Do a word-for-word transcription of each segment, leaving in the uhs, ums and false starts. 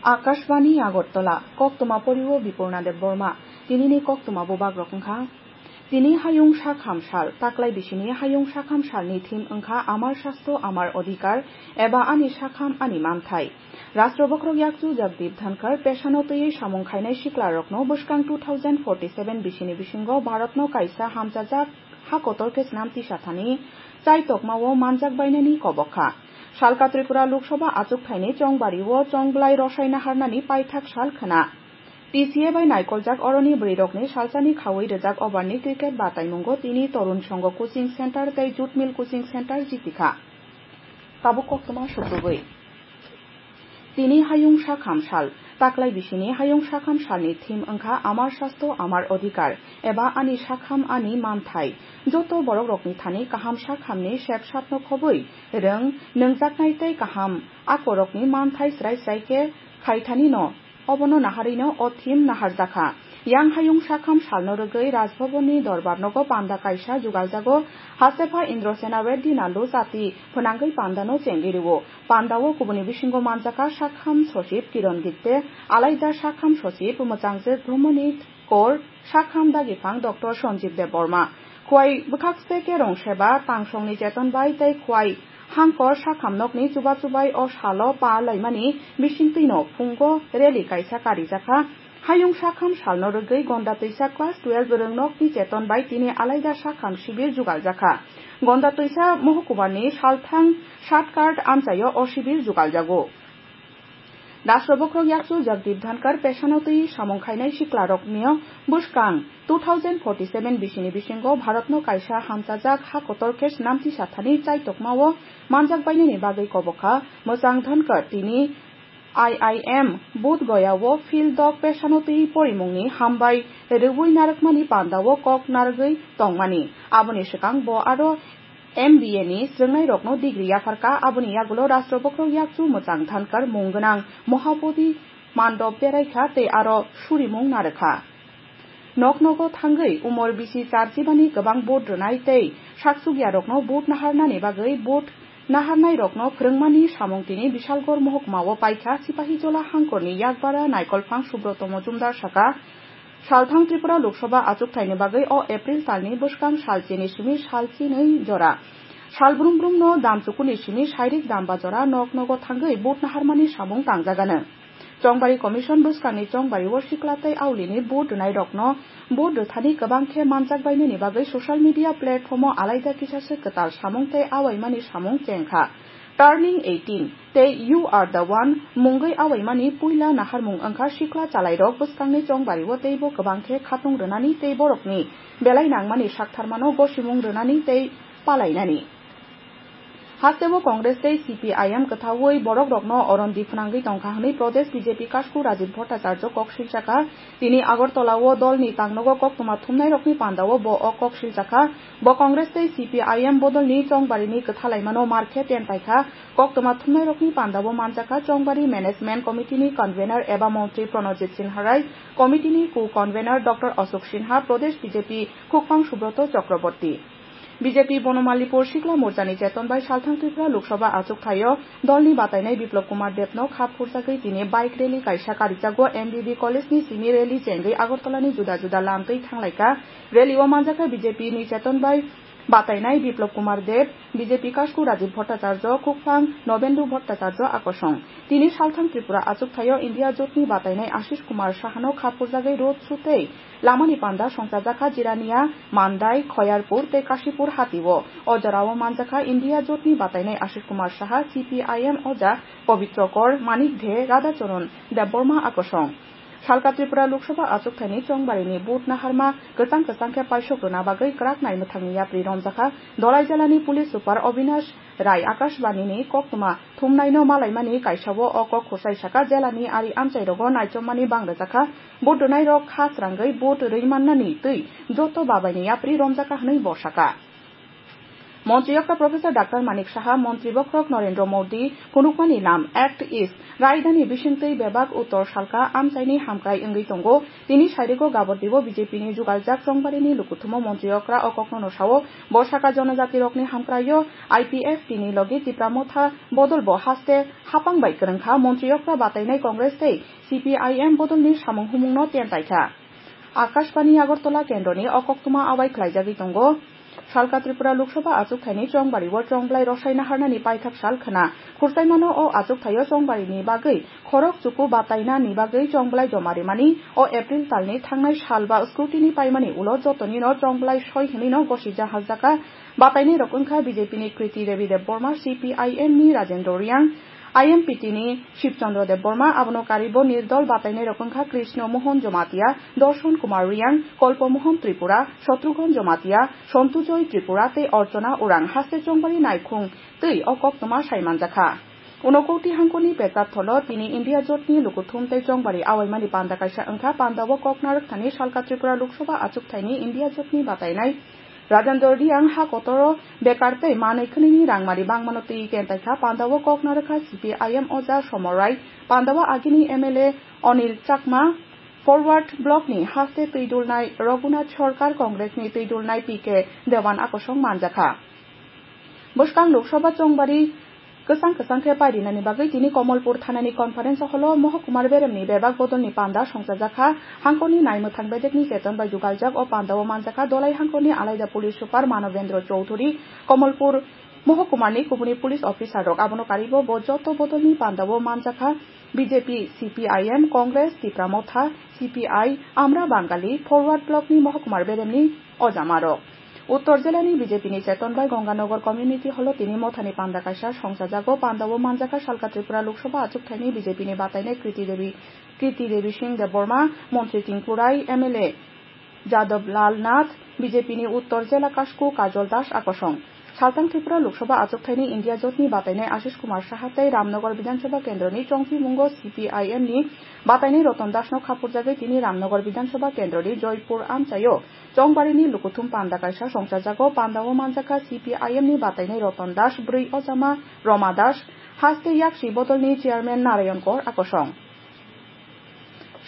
Akashbani Agartala, koktwma porio Bipurna Debbarma. Tinini koktwma bubagrok wngkha. Tini hayung sakham sal, taklai bisini hayung sakham salni theme wngkha Amar Sastho Amar Adhikar eba Ani Sakham Ani Manthai. Rashtra Bokhorok Yakchu Jagdeep Dhankhar pesano twiwi samung khainai siklarokno bwskang two thousand forty-seven bisini bisingo Bharatno kaisa hamchajak ha kotor khe snam tisathani chaitokmao manjak bainani kobok kha. Salka Tripura Lok Sabha achuk thaini chongbario chongblai rosai naharnani paithak sal khna. T C A bai naikoljak oroni bwrwirokni salsani khaui rwjak overni cricket bataimungo tini Torun Songho Coaching Center tei Jute Mill Coaching Center jitikha. Tabuk koktwma sukrubui. Tini hayung sakham sal, taklai bisini hayung sakham salni theme wngkha Amar Sastho Amar Adhikar eba Ani Sakham Ani Manthai. Joto borokrokni thani kaham sakhamni sep sapno khobwi rwng, nwngjaknai tei kaham akorokni manthai srai srai khe khaithanino. Obono naharwino o theme naharjakha. Yang hayung sakham salno rwgwi Raj Bhavanni dorbar nogo panda kaisa jugaljago. Hastepha Indrasena Reddy Nallu chati phwnangwi pandano chengwi rwo. Pandao kubuni bisingo manjakha sakham sochib Kiron Gipte, alaida sakham sochib mwchangjwk Brahmani Kor, sakham dagiphang Doctor Sanjeev Debbarma. Khwai bwkhak se kerong seba tangsongni cheton bai tei khwai hangkor sakham nokni chuba chubai o salo pa laimani bisingtwino phungo rally kaisa karijakha. Hayung sakham salno rwgwi Gonda Twisa class twelve rwngnokni cheton bai tini alaida sakham sibir jugaljakha. Gonda Twisa Mohkumarni Salthang Shortcut amchaio o sibir jugaljago. Rashtra Bokhorok Yakchu Jagdeep Dhankhar pesano twi samung khainai siklarokni bwskang two thousand forty-seven bisini bisingo Bharatno kaisa hamchajak ha kotor khe snamti sathani chaitokmao manjak bainani bagwi kobokha. Mwchang Dhankhar tini I I M Bodh Gaya o Field Dog pesano twi porimungni hambai rwui narwkmani pandao kok narwgwi tongmani. Aboni swkang bo aro M B A ni swrwngnairokno degree yapharkha, aboni yagulo Rashtra Bokhorok Yakchu Mwchang Dhankhar mung gwnang Mahabodhi Mandop beraikha tei aro surimung narwkha. Nok nogo thangwi umor bisi charjibani kwbang vote rwnai tei saksukyarokno vote naharnani bagwi vote naharnairokno phwrwngmani samung tini Bishalgarh mohokmao paikha Sipahijola hangkorni yakbara Naikolphang Subroto Mojumdar saka, Salthang Tripura Lok Sabha achuk thaini bagwi o April talni bwskang sal chini simi sal chinwi jora. Sal brum brum no dam chukuni simi sairik dam ba jora nok nogo thangwi vote naharmani samung tangjagano. Chongbari Commission bwskangni chongbari o sikla tei aulini vote rwnairokno vote rwthani kwbang khe manjak bainani bagwi social media platform o alaida kisa se kwtal samung tei awaimani samung chengkha. Turning eighteen tei You Are the One mungwi awaimani puila naharmung wngkha sikla chalairok bwskangni chongbario teibo kwbang khe khatung rwnani tei borokni belai nangmani saktharmano gosimung rwnani tei palainani. Hasteo Congress tei C P I M kwthaui borokrokno oron di phwnangwi tongkha hwnwi Pradesh B J P kasku Rajiv Bhattacharya kok silchakha. Tini Agartala o dolni tangnogo koktwma thumnairokni pandao bo o kok silchakha. Bo Congress tei C P I M bodolni chongbarini kwthalaimano mar khe tenpaikha. Koktwma thumnairokni pandao manjakha Chongbari Management Committee ni Convener eba Montri Pranojit Sinha Rai, Committee ni Co-Convener Doctor Ashok Sinha, Pradesh B J P Khukphang Subroto Chakraborty. B J P Bonomalipur Sikla Morchani cheton bai Salthang Tripura Lok Sabha achuk thaio dolni batainai Biplab Kumar Debno kha phurjagwi tini bike rally kaisa karijago. M B B College ni simi rally chengwi Agartala ni juda juda lam twi thanglaikha. Rally o manjakha B J P ni cheton bai batainai Biplab Kumar Deb, B J P kasku Rajiv Bhattacharya, Khukphang Nobendu Bhattacharya akosong. Tini Salthang Tripura achuk thaio India jotni batainai Ashish Kumar Sahano kha phurjagwi road show tei lamani panda songchajakha Jirania, Mandai, Khoyarpur tei Kashipur hatio. O jorao manjakha India jotni batainai Ashish Kumar Saha, C P I M oja Pabitra Kar, Manik De, Radhacharan Debbarma akosong. Salka Tripura Lok Sabha achuk thaini chongbarini vote naharma kwchang kwchang khe paisok rwna bagwi kwrak naimwthangni yapri romjakha. Dolai jelani police super Obinash Rai Akashbani ni koktwma thumnaino malaimani kaisao o kok khosai saka jelani ari amchairogo naichomani bang rwjakha. Vote rwnairok kha srangwi vote rwi mannani twi joto babaini yapri romjakha hwnwi bo saka. Montri okra Professor Doctor Manik Saha, Montri bokhorok Narendra Modi phunukmani nam Act East raidani bisingtwi bebak uttor salka amchaini hamkrai wngwi tongo. Tini sairigo Gabordibo B J P ni jugaljak chongbarini lukuthumo montri okra o kokno no sao, bo saka jonojati rokni hamkraio I P F T ni logi Tipra Motha bodol bo haste hapang bai kwrwngkha, montri okra batainai Congress tei C P I M bodolni samung humungno tentai kha. Akashbani Agartala kendroni o koktwma awai khlaijagwi tongo. Salka Tripura Lok Sabha achukthani chongbario chongblai rosai naharnani paithak sal khna. Khursaimano o achukthaio chongbarini bagwi khorok chuku batainani bagwi chongblai joma rimani o April talni thangnai sal ba scrutiny paimani ulo jotonino chongblai soi hwnwino gosi jahaljaka. Batainai rok wngkha B J P ni Kriti Devi Debbarma, C P I M ni Rajendra Reang, I M P T ni Shibchandra Debbarma, abono karibo nirdol batainai rok wngkha Krishna Mohan Jamatia, Darshan Kumar Reang, Kalpa Mohan Tripura, Shatrughan Jamatia, Santu Joy Tripura tei Archana Orang. Haste chongbari naikhung twi o koktwma sai manjakha. Unokoti hangkoni pekar tholo tini India jotni lukuthum tei chongbari awaimani panda kaisa wngkha. Pandao kok narwkthani salka Tripura Lok Sabha achukthaini India jotni batainai Rajendra Reang ha kotoro bekar tei manwi khwnwini rangmari bangmano twi kentaikha. Pandao kok narwkha C P I M oja Somor Rai, pandao agini M L A Anil Chakma, Forward Block ni haste twi dulnai Raghunath Sarkar, Congress ni twi dulnai P K Dewan akosong manjakha. Bwskang Lok Sabha chongbari kwchang kwchang khe pairinani bagwi tini Kamalpur thanani conference hall o Mohokumar Beremni bebak bodolni panda songchajakha. Hangkorni naimwthang bedekni cheton bai jugaljak o pandao manjakha Dolai hangkorni alaida police super Manobendra Chowdhury, Kamalpur Mohokumarni kubuni police officer rok. Abono karibo bo joto bodolni pandao manjakha B J P, C P I M, Congress, Tipra Motha, C P I, Amra Bangali, Forward Block ni Mohokumar Beremni ojamarok. Uttor jilani B J P ni cheton bai Ganganagar Community Hall o tini mothani panda kaisa songchajago. Pandao manjakha salka Tripura Lok Sabha achukthaini B J P ni batainai Kriti Devi, Kriti Devi Singh Debbarma, Montri Tinku Rai, M L A Jadab Lal Nath, B J P ni Uttor jila kasku Kajol Das akosong. Saltang Tripura Lok Sabha achukthaini India jotni batainai Ashish Kumar Saha tei Ramnagar Bidhan Sabha kendroni chongchimungo C P I M ni batainai Ratan Das no khapurjagwi tini Ramnagar Bidhan Sabha kendroni Joypur amchaio chongbarini lukuthum panda kaisa songchajago. Pandao manjakha C P I M ni batainai Ratan Das, bwrwi ojama Roma Das, haste yaksi bodolni chairman Narayan Kor akosong.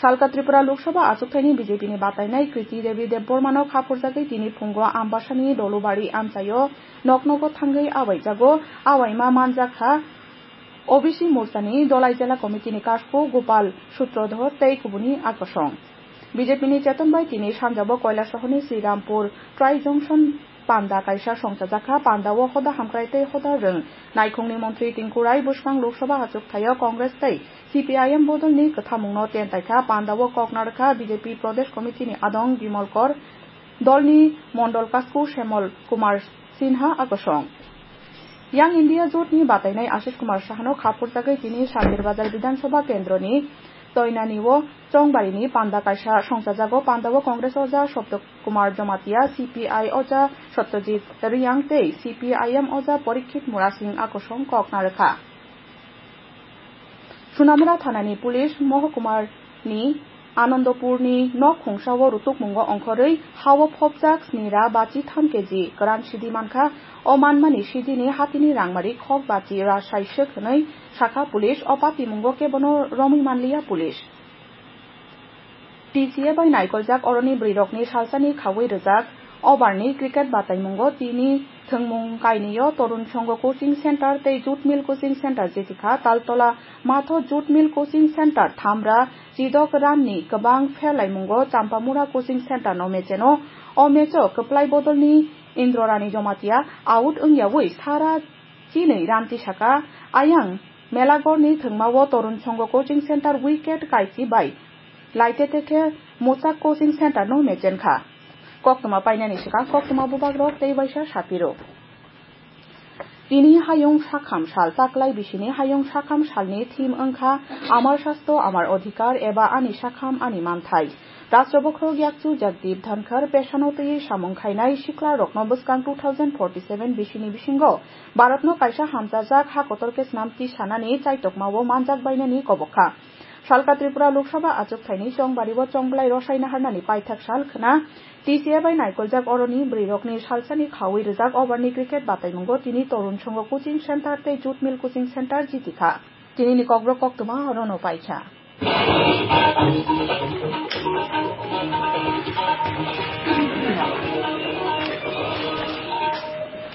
Salka Tripura Lok Sabha achukthaini B J P ni batainai Kriti Devi Debbarmano khapurjagwi tini phungo Ambasani Dolubari amchaio noknogo thangwi awaijago. Awaima manjakha O B C Morchani Dolai Jila Committee ni kasku Gopal Sutradhar tei kubuni akosong. B J P ni cheton bai tini sanjabo Koilasohorni Srirampur Tri Junction panda kaisa songchajakha. Pandao hoda hamkrai tei hoda rwng naikhungni montri Tinku Rai bwskang Lok Sabha achukthaio Congress tei C P I M bodolni kwthamungno tentai kha. Pandao kok narwkha B J P Pradesh Committee ni adong Bimal Kor, dolni mondol kasku Shemal Kumar Sinha akosong. Yang India jotni batainai Ashish Kumar Sahano khapurjagwi tini Sandir Bazar Bidhan Sabha kendroni Toinani o chongbarini panda kaisa songchajago. Pandao Congress oja Sabto Kumar Jamatia, C P I oja Satyajit Reang tei C P I M oja Parikshit Murasing akosong kok narwkha. Sunamura thanani police Mohokumarni Anandopurni nok khungsao rutukmungo ongkhorwi hao phopjak snira bachi tham keji kwran sidi mankha. O manmani sidini hatini rangmari khok bachi ra saiswk hwnwi sakha police. O patimungo kebono romwi manliya police. T C A bai naikoljak oroni bwrwirokni salsani khaui rwjak overni cricket bataimungo tini thwngmung kainwio Torun Songho Coaching Center tei Jute Mill Coaching Center jeti kha. Taltola Matho Jute Mill Coaching Center thamra chidok ranni kwbang pherlaimungo Champamura Coaching Center no mecheno. O match o kwplai bodolni Indrarani Jamatia out wngyaui sara chinwi ranti saka. Ayang Melagorni thwngmao Torun Songho Coaching Center wicket kaisi bai laitete khe Mochak Coaching Center no mechenkha. Koktwma painani swkang koktwma bubagrok tei waisa sapiro. Tini hayung sakham sal, taklai bisini hayung sakham salni theme wngkha Amar Sastho Amar Adhikar eba Ani Sakham Ani Manthai. Rashtra bokhorok yakchu Jagdeep Dhankhar pesano twiwi samung khainai siklarokno bwskang two thousand forty-seven bisini bisingo Bharatno kaisa hamchajak ha kotor khe snamti sanani chaitokmao manjak bainani kobok kha. Salka Tripura Lok Sabha achuk thaini chongbario chongblai rosai naharnani paithak sal khna T C A bai naikoljak oroni bwrwirokni salsani khaui rijak overni cricket bataimungo tini Torun Songho Coaching Centre tei Jute Mill Coaching Centre jitikha. Tinini kokborok koktwma orono paikha.